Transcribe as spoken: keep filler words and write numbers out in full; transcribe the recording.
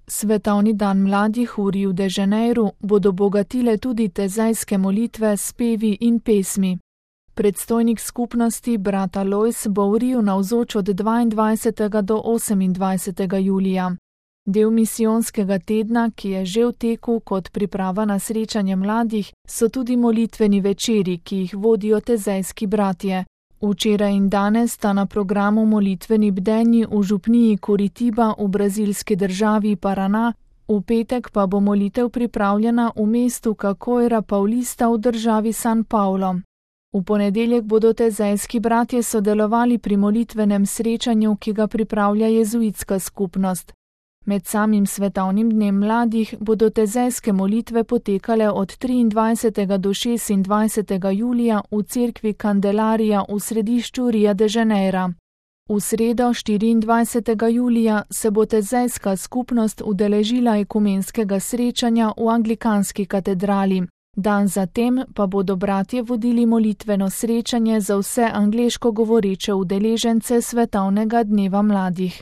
Svetovni dan mladih v Riu de Janeiru bodo bogatile tudi tezajske molitve s pevi in pesmi. Predstojnik skupnosti brat Alojz bo v Riu navzoč od dvaindvajsetega do osemindvajsetega julija. Del misijonskega tedna, ki je že v teku kot priprava na srečanje mladih, so tudi molitveni večeri, ki jih vodijo tezajski bratje. Včeraj in danes sta na programu molitveni bdenji v župniji Curitiba v brazilski državi Paraná, v petek pa bo molitev pripravljena v mestu Cachoeira Paulista v državi San Paulo. V ponedeljek bodo tezajski bratje sodelovali pri molitvenem srečanju, ki ga pripravlja jezuitska skupnost. Med samim svetovnim dnem mladih bodo tezajske molitve potekale od triindvajsetega do šestindvajsetega julija v cerkvi Candelaria v središču Ria de Janeira. V sredo štiriindvajsetega julija se bo tezajska skupnost udeležila ekumenskega srečanja v anglikanski katedrali. Dan zatem pa bodo bratje vodili molitveno srečanje za vse angleško govoreče udeležence svetovnega dneva mladih.